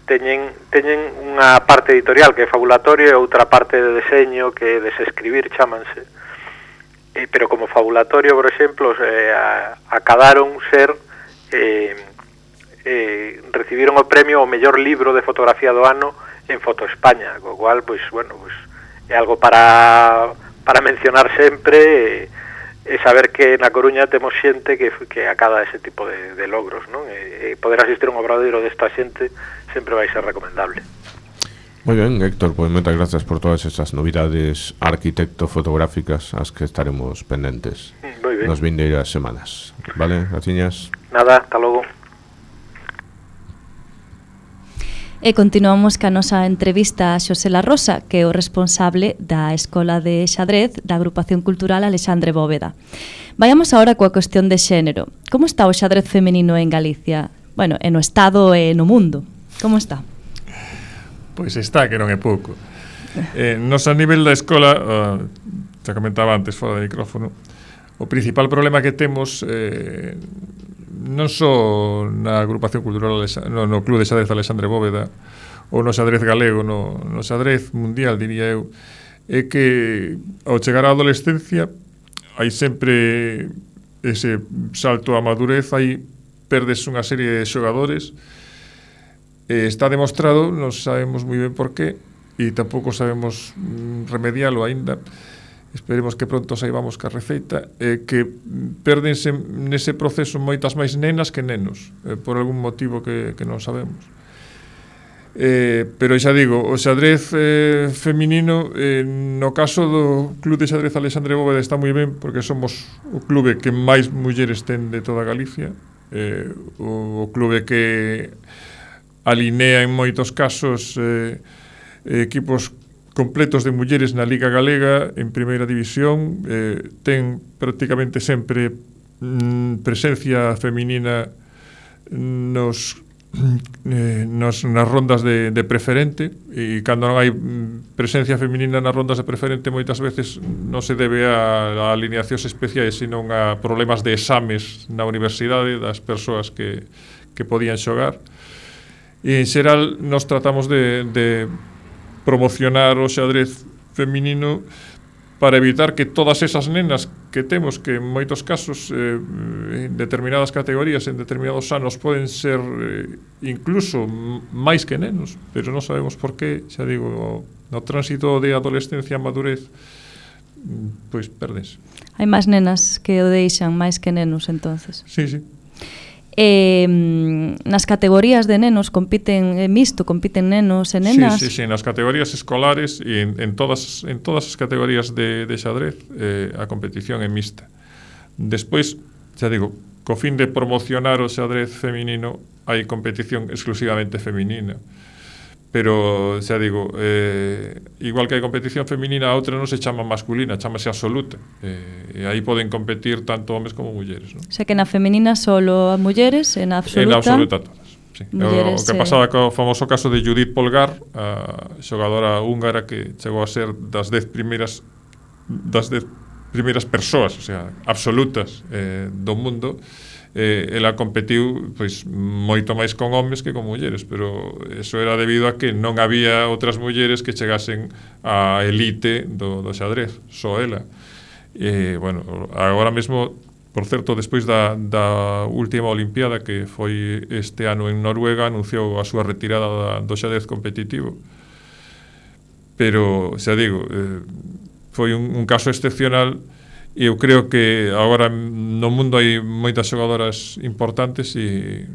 teñen, teñen unha parte editorial que é Fabulatorio e outra parte de deseño que é Desescribir, chámanse, e, pero como Fabulatorio, por exemplo, eh, acadaron ser eh, eh, recibiron o premio ao mellor libro de fotografía do ano en Foto España, co cual, pois, bueno, pois é algo para para mencionar sempre, e, e saber que na Coruña temos xente que, que acada ese tipo de, de logros, non? E, e poder asistir a un obradoiro desta xente sempre vai ser recomendable. Moi ben, Héctor, pois moitas gracias por todas esas novidades arquitecto-fotográficas as que estaremos pendentes nas vindeiras semanas. Vale, graciñas. Nada, hasta logo. E continuamos ca nosa entrevista a Xosé La Rosa, que é o responsable da Escola de Xadrez da Agrupación Cultural Alexandre Bóveda. Vayamos agora coa cuestión de xénero. Como está o xadrez feminino en Galicia? Bueno, e no Estado e no mundo. Como está? Pois está, que non é pouco. Eh, nos a nivel da escola, uh, xa comentaba antes fora do micrófono, o principal problema que temos eh, non só na agrupación cultural no, no Club de Xadrez Alexandre Bóveda ou no xadrez galego, no, no xadrez mundial, diría eu, é que ao chegar á adolescencia hai sempre ese salto á madurez, aí perdes unha serie de xogadores, e está demostrado, non sabemos moi ben por qué e tampouco sabemos remedialo aínda. Esperemos que pronto saibamos que a receita, eh, que perdense nese proceso moitas máis nenas que nenos, eh, por algún motivo que, que non sabemos. Eh, pero xa digo, o xadrez eh, feminino, eh, no caso do Club de Xadrez Alexandre Bóveda está moi ben, porque somos o clube que máis mulleres ten de toda Galicia, eh, o, o clube que alinea en moitos casos eh, equipos completos de mulleres na Liga Galega en primeira división, eh, ten prácticamente sempre mm, presencia feminina nos eh, nos, nas rondas de, de preferente, e cando non hai presencia feminina nas rondas de preferente moitas veces non se debe a, a alineacións especiais, sino a problemas de exames na universidade das persoas que, que podían xogar. E en xeral nos tratamos de, de promocionar o xadrez feminino para evitar que todas esas nenas que temos, que en moitos casos eh, en determinadas categorías, en determinados anos poden ser eh, incluso máis que nenos, pero non sabemos por qué, xa digo, no tránsito de adolescencia a madurez, pois perdense. Hai máis nenas que o deixan máis que nenos, entonces. Sí, sí. Eh, nas categorías de nenos compiten eh, mixto, compiten nenos e nenas. Sí, sí, sí, nas categorías escolares e en, en todas en todas as categorías de, de xadrez eh, a competición é mixta. Despois, xa digo, co fin de promocionar o xadrez feminino hai competición exclusivamente feminina. Pero, xa digo, eh, igual que hai competición feminina, a outra non se chama masculina, chamase absoluta. Eh, e aí poden competir tanto homes como mulleres, non? O sea que na feminina solo a mulleres, e na absoluta... En na absoluta todas, sí. Mulleres, o que eh... pasaba co famoso caso de Judith Polgar, a xogadora húngara que chegou a ser das dez primeiras das dez primeiras persoas, o sea, absolutas eh, do mundo. Eh, ela competiu pois moito máis con homes que con mulleres, pero eso era debido a que non había outras mulleres que chegasen á elite do, do xadrez, só ela. E, bueno, agora mesmo, por certo, despois da, da última Olimpiada que foi este ano en Noruega, anunciou a súa retirada da, do xadrez competitivo. Pero, xa digo, eh, foi un, un caso excepcional. E eu creo que agora no mundo hai moitas xogadoras importantes e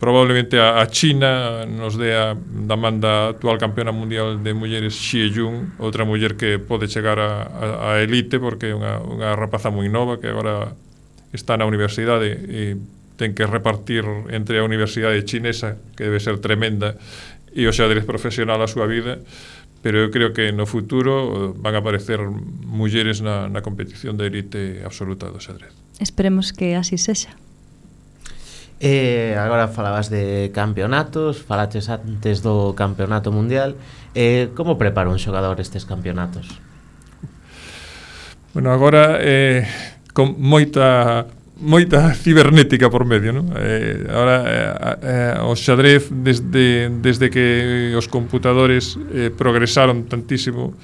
probablemente a, a China nos dé a da manda actual campeona mundial de mulleres Xie Jun, outra muller que pode chegar a, a, a elite porque é unha, unha rapaza moi nova que agora está na universidade e ten que repartir entre a universidade chinesa, que debe ser tremenda, e o xadrez profesional a súa vida. Pero eu creo que no futuro van a aparecer mulleres na, na competición de élite absoluta do xadrez. Esperemos que así sexa. Eh, agora falabas de campeonatos, falaches antes do campeonato mundial. Eh, como prepara un xogador estes campeonatos? Bueno, agora eh, con moita moita cibernética por medio, non? Eh, ahora eh, eh, o xadrez desde, desde que os computadores eh, progresaron tantísimo,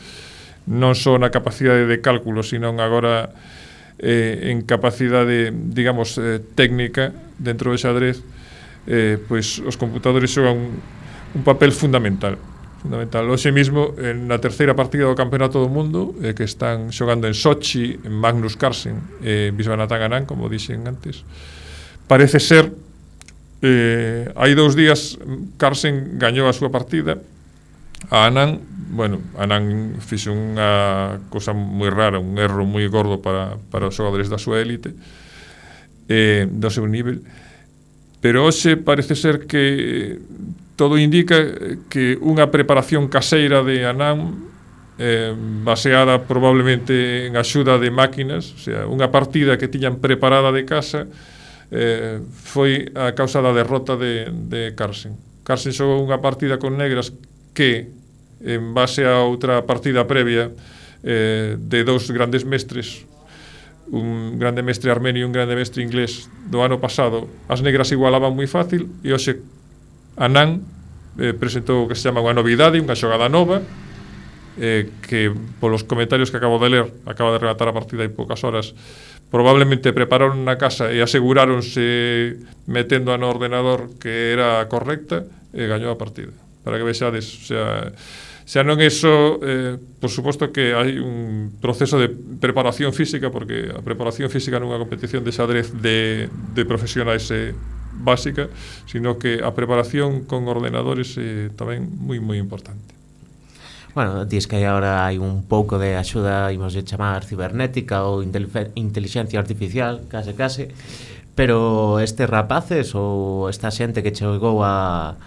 non só na capacidade de cálculo, sino agora eh, en capacidade, digamos, eh, técnica dentro do xadrez, eh, pois os computadores xogan un, un papel fundamental. fundamental. Hoxe mismo, na terceira partida do Campeonato do Mundo, eh, que están xogando en Sochi, en Magnus Carlsen e eh, Viswanathan Anand, como dixen antes, parece ser eh, hai dous días Carlsen gañou a súa partida a Anand. Bueno, Anand fixe unha cosa moi rara, un erro moi gordo para, para os xogadores da súa élite, eh, do seu nivel, pero hoxe parece ser que todo indica que unha preparación caseira de Anand, eh, baseada probablemente en axuda de máquinas, o sea, unha partida que tiñan preparada de casa, eh, foi a causa da derrota de, de Carlsen. Carlsen xogou unha partida con negras que, en base a outra partida previa eh, de dous grandes mestres, un grande mestre armenio e un grande mestre inglés do ano pasado, as negras igualaban moi fácil, e hoxe Anand eh, presentou o que se chama unha novidade, unha xogada nova, eh, que polos comentarios que acabo de ler, acaba de rematar a partida hai poucas horas, probablemente prepararon na casa e aseguráronse metendo no ordenador que era correcta e gañou a partida. Para que vexades, o sea, xa non é só, eh, por suposto que hai un proceso de preparación física, porque a preparación física nunha competición de xadrez de, de profesionais é básica, sino que a preparación con ordenadores é tamén moi moi importante. Bueno, dis que agora hai un pouco de axuda, imos de chamar cibernética ou inteligencia artificial, case case, pero estes rapaces ou esta xente que chegou a,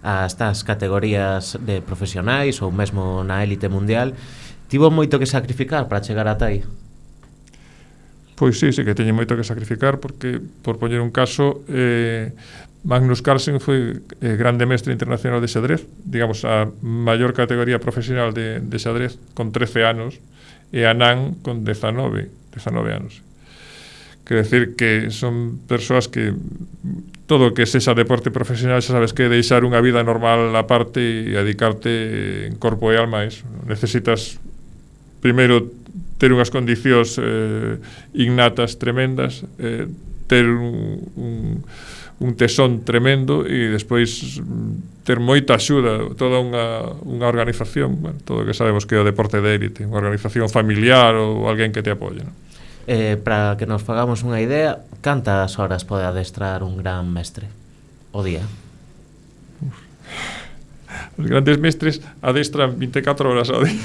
a estas categorías de profesionais ou mesmo na élite mundial, tivo moito que sacrificar para chegar ata aí? Pois sí, sí que teñen moito que sacrificar, porque, por poñer un caso, eh, Magnus Carlsen foi eh, grande mestre internacional de xadrez, digamos, a maior categoría profesional de, de xadrez, con trece anos, e Anand con dezanove anos. Quer decir que son persoas que todo o que sexa deporte profesional xa sabes que deixar unha vida normal a parte e dedicarte en corpo e alma a eso. Necesitas primeiro ter unhas condicións eh, innatas tremendas, eh, ter un, un, un tesón tremendo e despois ter moita axuda, toda unha, unha organización, bueno, todo o que sabemos que é o deporte de élite, unha organización familiar ou alguén que te apoie, non? Eh, para que nos fagamos unha idea, cantas horas pode adestrar un gran mestre o día? Os grandes mestres adestran vinte e catro horas ao día.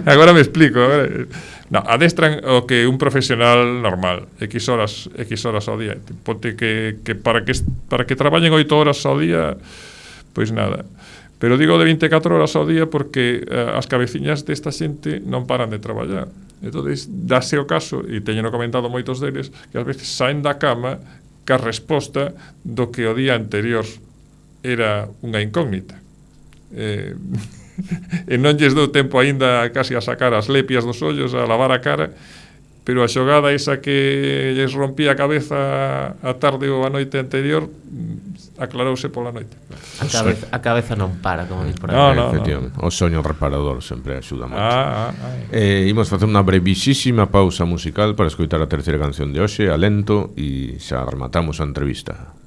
Agora me explico. Agora. No, adestran o que un profesional normal, X horas, X horas ao día. Ponte que, que para que para que traballen oito horas ao día, pois nada. Pero digo de vinte e catro horas ao día porque uh, as cabeciñas desta xente non paran de traballar. Entonces, dáse o caso, e teñeno comentado moitos deles, que ás veces saen da cama ca resposta do que o día anterior era unha incógnita. Eh, e non lles dou tempo aínda casi a sacar as lepias dos ollos, a lavar a cara, pero a xogada esa que lles rompía a cabeza a tarde ou a noite anterior aclarouse pola noite. A cabeza, a cabeza non para, como dis por aí. No, no, Efectivamente, no. O soño reparador sempre axuda moito. Ah, ah, ah. Eh, imos facer unha brevísima pausa musical para escoitar a terceira canción de hoxe, Alento, e xa rematamos a entrevista.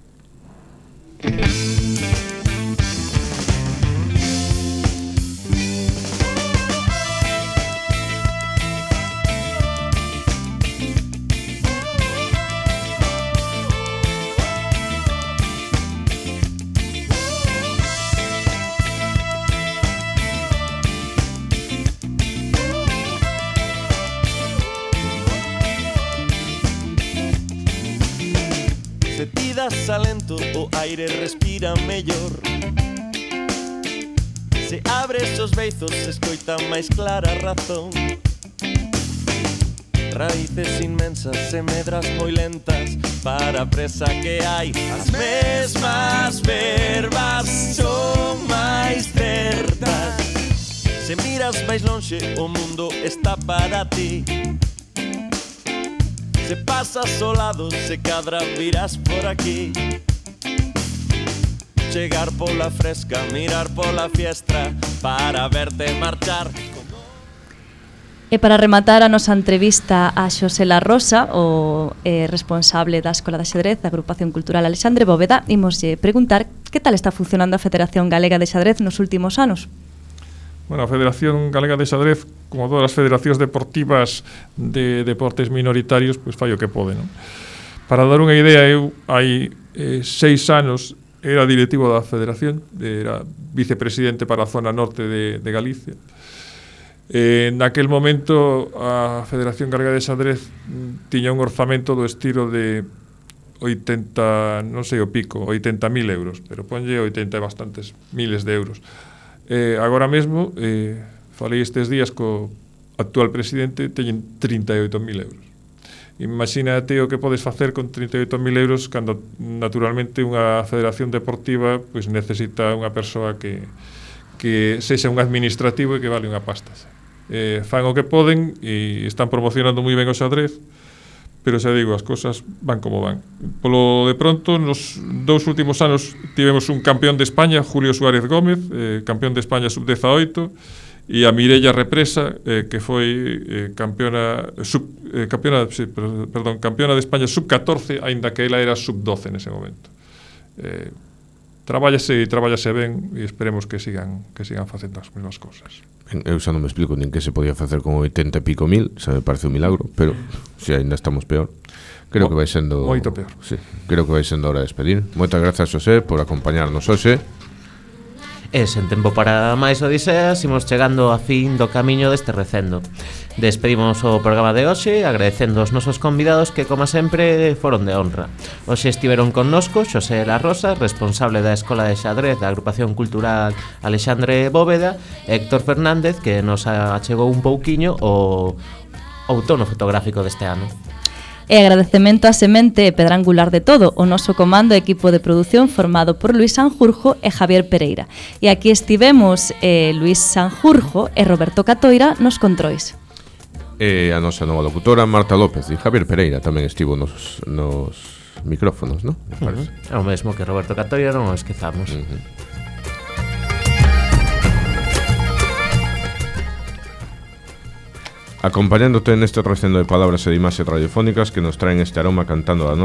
Alento, o aire respira mellor. Se abres os beizos, se escoita máis clara a razón. Raíces inmensas e medras moi lentas para a presa que hai. As mesmas verbas son máis certas. Se miras máis lonxe, o mundo está para ti. Se pasas ao lado, se cadra virás por aquí. Chegar pola fresca, mirar pola fiestra, para verte marchar. E para rematar a nosa entrevista a Xosela Rosa, o eh, responsable da Escola de Xadrez da Agrupación Cultural Alexandre Bóveda, imoslle preguntar que tal está funcionando a Federación Galega de Xadrez nos últimos anos. Bueno, a Federación Galega de Xadrez, como todas as federacións deportivas de deportes minoritarios, pois fai o que pode, non? Para dar unha idea, eu hai eh, seis anos era directivo da Federación, era vicepresidente para a zona norte de, de Galicia. Eh, naquel momento a Federación Galega de Xadrez tiña un orzamento do estilo de oitenta, non sei o pico, oitenta mil euros, pero ponlle oitenta e bastantes miles de euros. Eh, agora mesmo, eh, falei estes días co actual presidente, teñen trinta e oito mil euros. Imagínate o que podes facer con trinta e oito mil euros cando naturalmente unha federación deportiva pois necesita unha persoa que, que sexa un administrativo e que vale unha pasta. Eh, fan o que poden e están promocionando moi ben o xadrez, pero xa digo, as cosas van como van. Polo de pronto, nos dous últimos anos tivemos un campeón de España, Julio Suárez Gómez, eh, campeón de España sub dezaoito, e a Mireia Represa, eh, que foi eh, campeona, sub, eh, campeona, sí, perdón, campeona de España sub catorce, aínda que ela era sub doce nese momento. Eh, trabállase e trabállase ben e esperemos que sigan que sigan facendo as mesmas cousas. Eu xa non me explico nin que se podía facer con oitenta e pico mil, xa me parece un milagro, pero se ainda estamos peor. Creo Mo, que vai sendo moito peor. Sí, creo que vai sendo hora de despedir. Moitas grazas, Xosé, por acompañarnos hoxe. E sen tempo para máis odiseas, imos chegando a fin do camiño deste recendo. Despedimos o programa de hoxe agradecendo os nosos convidados que, como sempre, foron de honra. Hoxe estiveron connosco Xosela Rosa, responsable da Escola de Xadrez da Agrupación Cultural Alexandre Bóveda, e Héctor Fernández, que nos achegou un pouquiño o outono fotográfico deste ano. E agradecemento a semente e pedra angular de todo, o noso comando e equipo de produción formado por Luis Sanjurjo e Javier Pereira. E aquí estivemos eh, Luis Sanjurjo e Roberto Catoira nos controis. E a nosa nova locutora Marta López e Javier Pereira tamén estivo nos, nos micrófonos, non? Uh -huh. É o mesmo que Roberto Catoira, non o esquezamos. Uh -huh. Acompañándote neste recendo de palabras e de imaxes radiofónicas que nos traen este aroma cantando a nosa